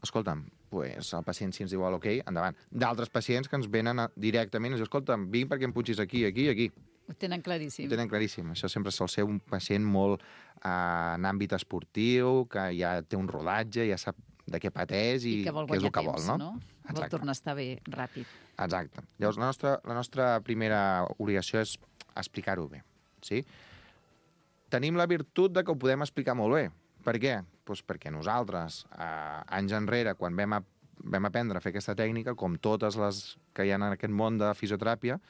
Escolta'm, pues, el pacient, si ens diu ok, endavant. D'altres pacients que ens venen directament i ens diuen, escolta'm, vinc perquè em punxis aquí, aquí i aquí. Ho tenen claríssim. Ho tenen claríssim. Això sempre sol ser un pacient molt en àmbit esportiu, que ja té un rodatge, ja sap de què pateix i que vol què és el guanyar que temps, vol, no? Vol tornar a estar bé ràpid. Exacte. Llavors, la nostra primera obligació és explicar-ho bé, sí? Tenim la virtut de que ho podem explicar molt bé. Per què? Doncs perquè nosaltres, anys enrere, quan vam aprendre a fer aquesta tècnica, com totes les que hi ha en aquest món de fisioteràpia,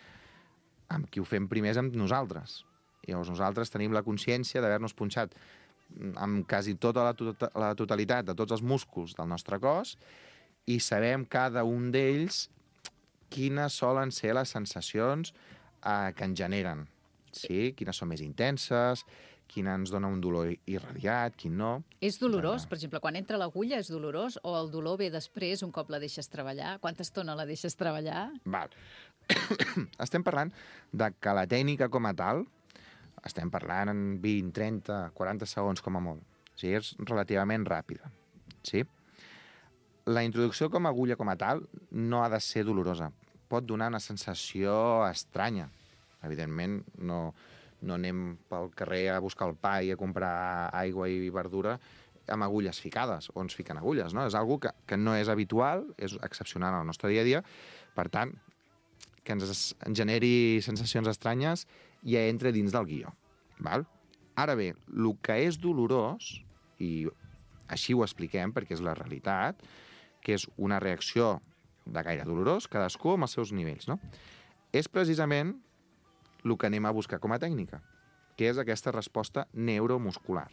amb qui ho fem primer és amb nosaltres. I llavors nosaltres tenim la consciència d'haver-nos punxat amb quasi tota la totalitat de tots els músculs del nostre cos i sabem cada un d'ells quines solen ser les sensacions que ens generen. Sí? Quines són més intenses, quina ens dona un dolor irradiat, quin no. És dolorós? Per exemple, quan entra l'agulla és dolorós o el dolor ve després un cop la deixes treballar? Quanta estona la deixes treballar? Val. Estem parlant de que la tècnica com a tal, estem parlant en 20, 30, 40 segons com a molt. O sigui, és relativament ràpida. Sí? La introducció com a agulla com a tal no ha de ser dolorosa. Pot donar una sensació estranya. Evidentment, no anem pel carrer a buscar el pa i a comprar aigua i verdura amb agulles ficades, o ens fiquen agulles, no? És una cosa que no és habitual, és excepcional al nostre dia a dia, per tant, que ens generi sensacions estranyes ja entra dins del guió. Val? Ara bé, el que és dolorós, i així ho expliquem perquè és la realitat, que és una reacció de gaire dolorós, cadascú amb els seus nivells, no? És precisament el que anem a buscar com a tècnica, que és aquesta resposta neuromuscular,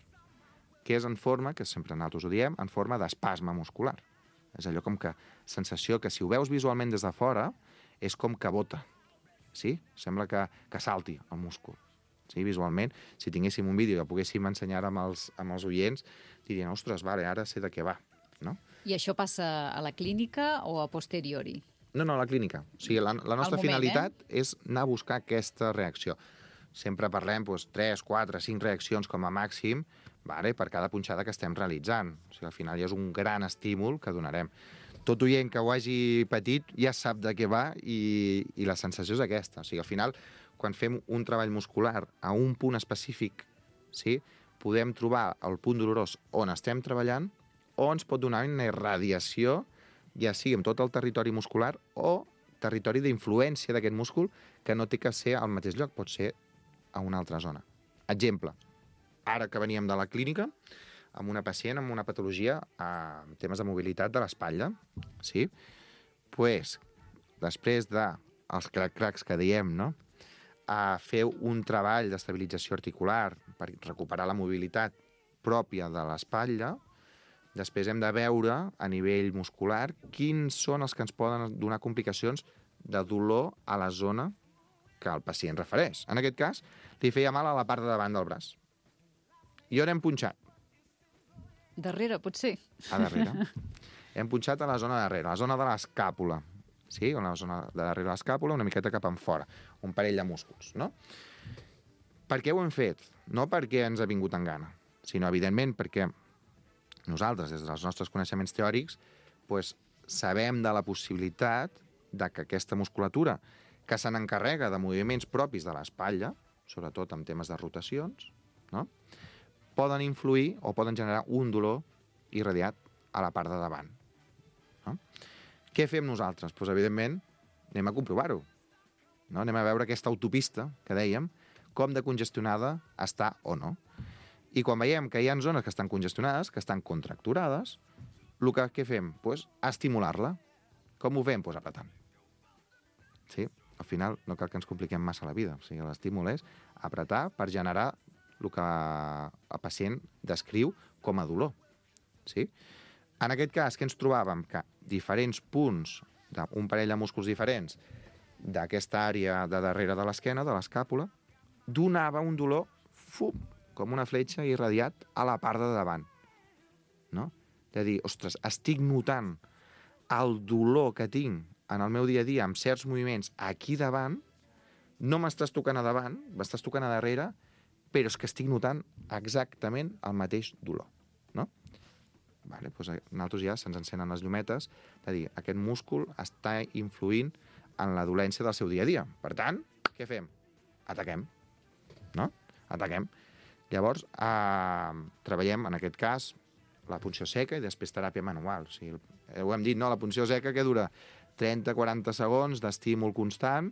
que és en forma, que sempre nosaltres ho diem, en forma d'espasme muscular. És allò com que sensació que si ho veus visualment des de fora és com que bota, sí? Sembla que salti el múscul. Sí? Visualment, si tinguéssim un vídeo que poguéssim ensenyar amb els oients, dirien, ostres, vale, ara sé de què va. No? I això passa a la clínica o a posteriori? No, a la clínica. O sigui, la nostra finalitat és anar a buscar aquesta reacció. Sempre parlem 3, 4, 5 reaccions com a màxim per cada punxada que estem realitzant. O sigui, al final ja és un gran estímul que donarem. Tot oient que ho hagi patit ja sap de què va i la sensació és aquesta. O sigui, al final, quan fem un treball muscular a un punt específic, sí, podem trobar el punt dolorós on estem treballant o ens pot donar una irradiació, ja sigui en tot el territori muscular o territori d'influència d'aquest múscul que no té que ser al mateix lloc, pot ser a una altra zona. Exemple, ara que veníem de la clínica, amb una pacient amb una patologia en temes de mobilitat de l'espatlla, sí? Pues, després dels crac-cracs que diem, no? A fer un treball d'estabilització articular per recuperar la mobilitat pròpia de l'espatlla, després hem de veure a nivell muscular quins són els que ens poden donar complicacions de dolor a la zona que el pacient refereix. En aquest cas, li feia mal a la part de davant del braç. I on hem punxat? Darrere, potser. A darrere. Hem punxat a la zona de darrere, a la zona de l'escàpula. Sí, a la zona de darrere de l'escàpula, una miqueta cap enfora. Un parell de músculs, no? Per què ho hem fet? No perquè ens ha vingut en gana, sinó, evidentment, perquè nosaltres, des dels nostres coneixements teòrics, sabem de la possibilitat de que aquesta musculatura, que se n'encarrega de moviments propis de l'espatlla, sobretot en temes de rotacions, no?, poden influir o poden generar un dolor irradiat a la part de davant. No? Què fem nosaltres? Doncs, evidentment, anem a comprovar-ho. No? Anem a veure aquesta autopista que dèiem, com de congestionada està o no. I quan veiem que hi ha zones que estan congestionades, que estan contracturades, el que fem? Doncs estimular-la. Com ho fem? Doncs apretant. Sí? Al final no cal que ens compliquem massa la vida. O sigui, l'estímul és apretar per generar el que el pacient descriu com a dolor. Sí? En aquest cas, que ens trobàvem? Que diferents punts d'un parell de músculs diferents d'aquesta àrea de darrere de l'esquena, de l'escàpula, donava un dolor com una fletxa irradiat a la part de davant. No? De dir, ostres, estic notant el dolor que tinc en el meu dia a dia amb certs moviments aquí davant, no m'estàs tocant a davant, m'estàs tocant a darrere, però és que estic notant exactament el mateix dolor. No? Vale, doncs a nosaltres ja se'ns encenen les llumetes de dir, aquest múscul està influint en la dolència del seu dia a dia. Per tant, què fem? ataquem, no? Ataquem. Llavors, treballem, en aquest cas, la punció seca i després teràpia manual. O sigui, ho hem dit, no? La punció seca que dura 30-40 segons d'estímul constant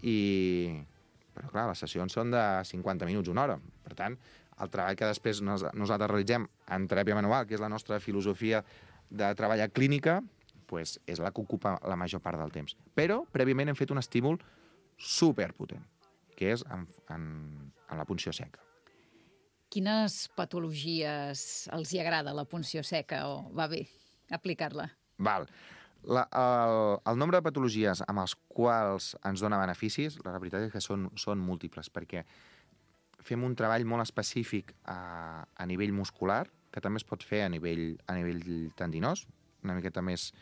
però clar, les sessions són de 50 minuts, una hora. Per tant, el treball que després nosaltres realitzem en teràpia manual, que és la nostra filosofia de treballar clínica, pues, és la que ocupa la major part del temps. Però, prèviament, hem fet un estímul superpotent, que és en la punció seca. Quines patologies els hi agrada la punció seca o va bé aplicar-la? Val. El nombre de patologies amb els quals ens dona beneficis, la veritat és que són múltiples, perquè fem un treball molt específic a nivell muscular, que també es pot fer a nivell tendinós, una miqueta més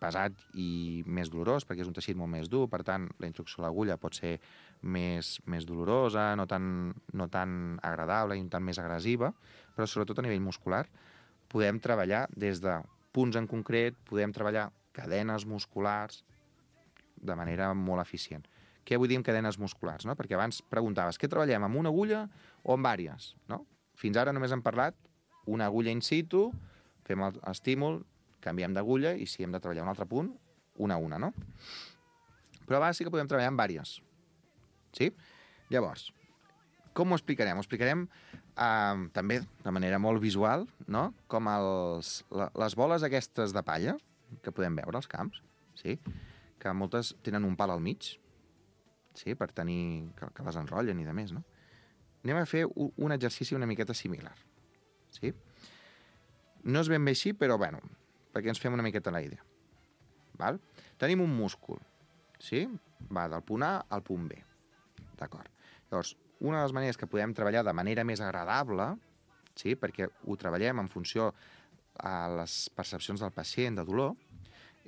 pesat i més dolorós, perquè és un teixit molt més dur, per tant, la introducció a l'agulla pot ser més dolorosa, no tan agradable i un tant més agressiva, però sobretot a nivell muscular podem treballar des de punts en concret, podem treballar cadenes musculars de manera molt eficient. Què vull dir amb cadenes musculars? No? Perquè abans preguntaves, què treballem, amb una agulla o amb vàries? No? Fins ara només hem parlat una agulla in situ, fem l'estímul, canviem d'agulla i si hem de treballar un altre punt, una a una, no? Però a vegades sí que podem treballar amb vàries. Sí? Llavors, com ho explicarem? Ho explicarem també de manera molt visual, no? Com les boles aquestes de palla que podem veure als camps, sí? Que moltes tenen un pal al mig, sí? Per tenir que les enrotllen i de més, no? Anem a fer un exercici una miqueta similar, sí? No és ben bé així, però bueno, perquè ens fem una miqueta la idea. Val? Tenim un múscul, sí? Va del punt A al punt B. D'acord. Llavors, una de les maneres que podem treballar de manera més agradable, sí? Perquè ho treballem en funció a les percepcions del pacient de dolor,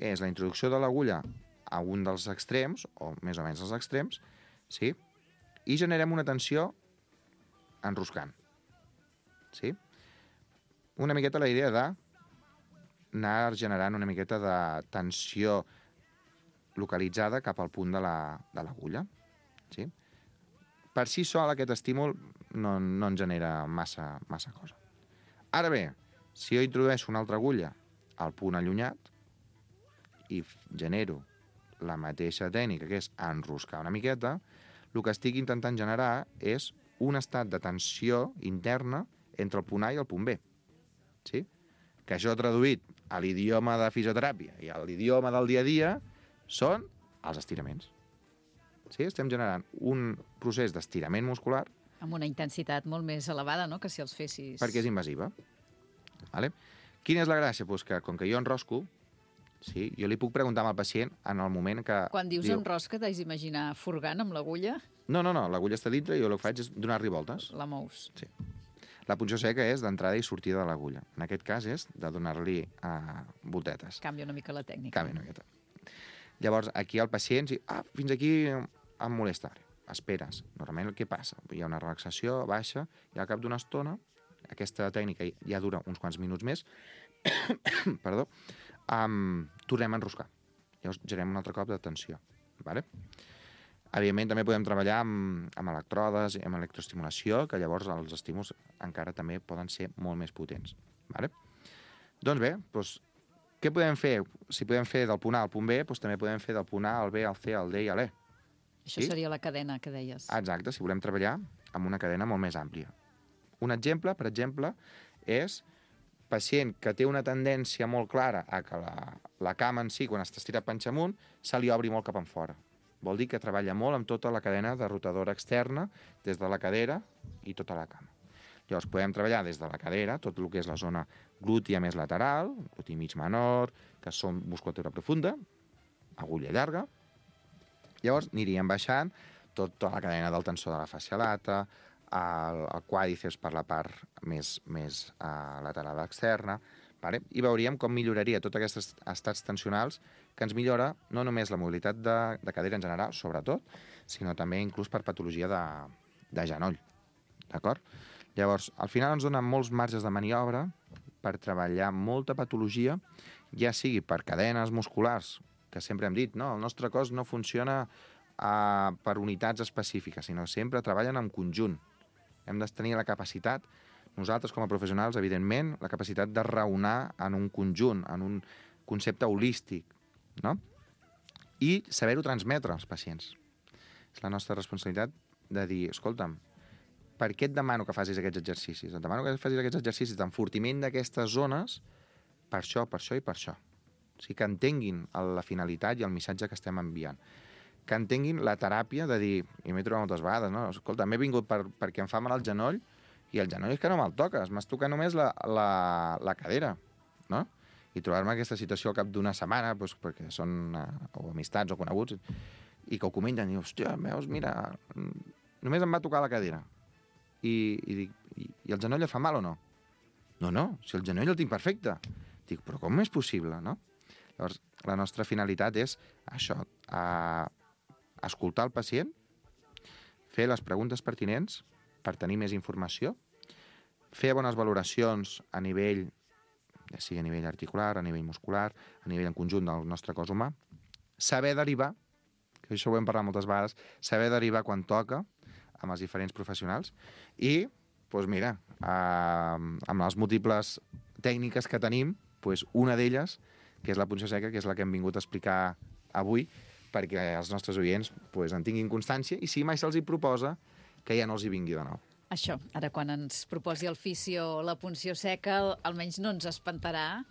és la introducció de l'agulla a un dels extrems, o més o menys als extrems, sí? I generem una tensió enroscant. Sí? Una miqueta la idea d'anar generant una miqueta de tensió localitzada cap al punt de l'agulla. Sí? Per si sol aquest estímul no ens genera massa cosa. Ara bé, si jo introdueixo una altra agulla al punt allunyat i genero la mateixa tècnica, que és enroscar una miqueta, el que estic intentant generar és un estat de tensió interna entre el punt A i el punt B. Sí? Que això traduït a l'idioma de fisioteràpia i a l'idioma del dia a dia són els estiraments. Sí? Estem generant un procés d'estirament muscular amb una intensitat molt més elevada, no?, que si els fessis... Perquè és invasiva. Vale? Quina és la gràcia? Pues que, com que jo enrosco, sí, jo li puc preguntar al pacient en el moment que... Quan dius enrosca, t'has d'imaginar furgant amb l'agulla? No, l'agulla està dintre i jo el que faig és donar-li voltes. La mous. Sí. La punció seca és d'entrada i sortida de l'agulla. En aquest cas és de donar-li voltetes. Canvia una mica la tècnica. Canvia una miqueta. Llavors, aquí el pacient... fins aquí em molesta. Esperes. Normalment, què passa? Hi ha una relaxació baixa i al cap d'una estona, aquesta tècnica ja dura uns quants minuts més, perdó, tornem a enroscar. Llavors, generem un altre cop de tensió. Vale? Evidentment, també podem treballar amb electrodes, amb electroestimulació, que llavors els estímuls encara també poden ser molt més potents. Vale? Doncs bé, què podem fer? Si podem fer del punt A al punt B, també podem fer del punt A al B, al C, al D i a l'E. Això seria la cadena que deies. Exacte, si volem treballar amb una cadena molt més àmplia. Un exemple, per exemple, és pacient que té una tendència molt clara a que la cama en si, quan està estirat panxa amunt, se li obri molt cap enfora. Vol dir que treballa molt amb tota la cadena de rotadora externa, des de la cadera i tota la cama. Llavors, podem treballar des de la cadera, tot el que és la zona glútia més lateral, glútia mig menor, que són musculatura profunda, agulla llarga. Llavors, aniríem baixant tota la cadena del tensor de la fascia lata, el quàdriceps per la part més lateral externa, vale? I veuríem com milloraria tots aquests estats tensionals que ens millora no només la mobilitat de cadera en general, sobretot, sinó també inclús per patologia de genoll. D'acord? Llavors, al final ens donen molts marges de maniobra per treballar molta patologia, ja sigui per cadenes musculars, que sempre hem dit, no? El nostre cos no funciona per unitats específiques, sinó sempre treballen en conjunt. Hem de tenir la capacitat, nosaltres com a professionals, evidentment, la capacitat de raonar en un conjunt, en un concepte holístic, no? I saber-ho transmetre als pacients. És la nostra responsabilitat de dir, escolta'm, per què et demano que facis aquests exercicis? Et demano que facis aquests exercicis d'enfortiment d'aquestes zones per això, per això i per això. O sigui, que entenguin la finalitat i el missatge que estem enviant. Que entenguin la teràpia de dir, i m'he trobat moltes vegades, no? Escolta, m'he vingut perquè em fa mal el genoll i el genoll és que no me'l toques, m'has tocat només la cadera, no? I trobar-me aquesta situació al cap d'una setmana, doncs, perquè són o amistats o coneguts, i que ho comenten, i dius, hòstia, veus, mira, només em va tocar la cadera. I el genoll et fa mal o no? No, si el genoll el tinc perfecte. Dic, però com és possible, no? Llavors, la nostra finalitat és això, escoltar el pacient, fer les preguntes pertinents per tenir més informació, fer bones valoracions a nivell, ja sigui a nivell articular, a nivell muscular, a nivell en conjunt del nostre cos humà, saber derivar, que això ho hem parlat moltes vegades, saber derivar quan toca amb els diferents professionals i, doncs mira, amb les múltiples tècniques que tenim, doncs una d'elles, que és la punció seca, que és la que hem vingut a explicar avui, perquè els nostres oients doncs, en tinguin constància i si mai se'ls hi proposa, que ja no els hi vingui de nou. Això, ara quan ens proposi el fisio la punció seca, almenys no ens espantarà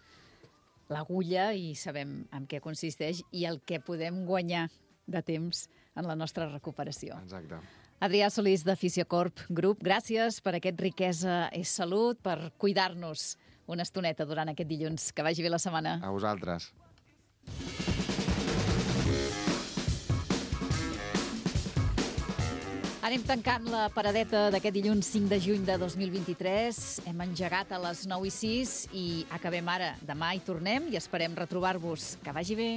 l'agulla i sabem en què consisteix i el que podem guanyar de temps en la nostra recuperació. Exacte. Adrià Solís, de Fisiocorp Group, gràcies per aquest Riquesa és Salut, per cuidar-nos una estoneta durant aquest dilluns. Que vagi bé la setmana. A vosaltres. Anem tancant la paradeta d'aquest dilluns 5 de juny de 2023. Hem engegat a les 9:06 i acabem ara. Demà hi tornem i esperem retrobar-vos. Que vagi bé.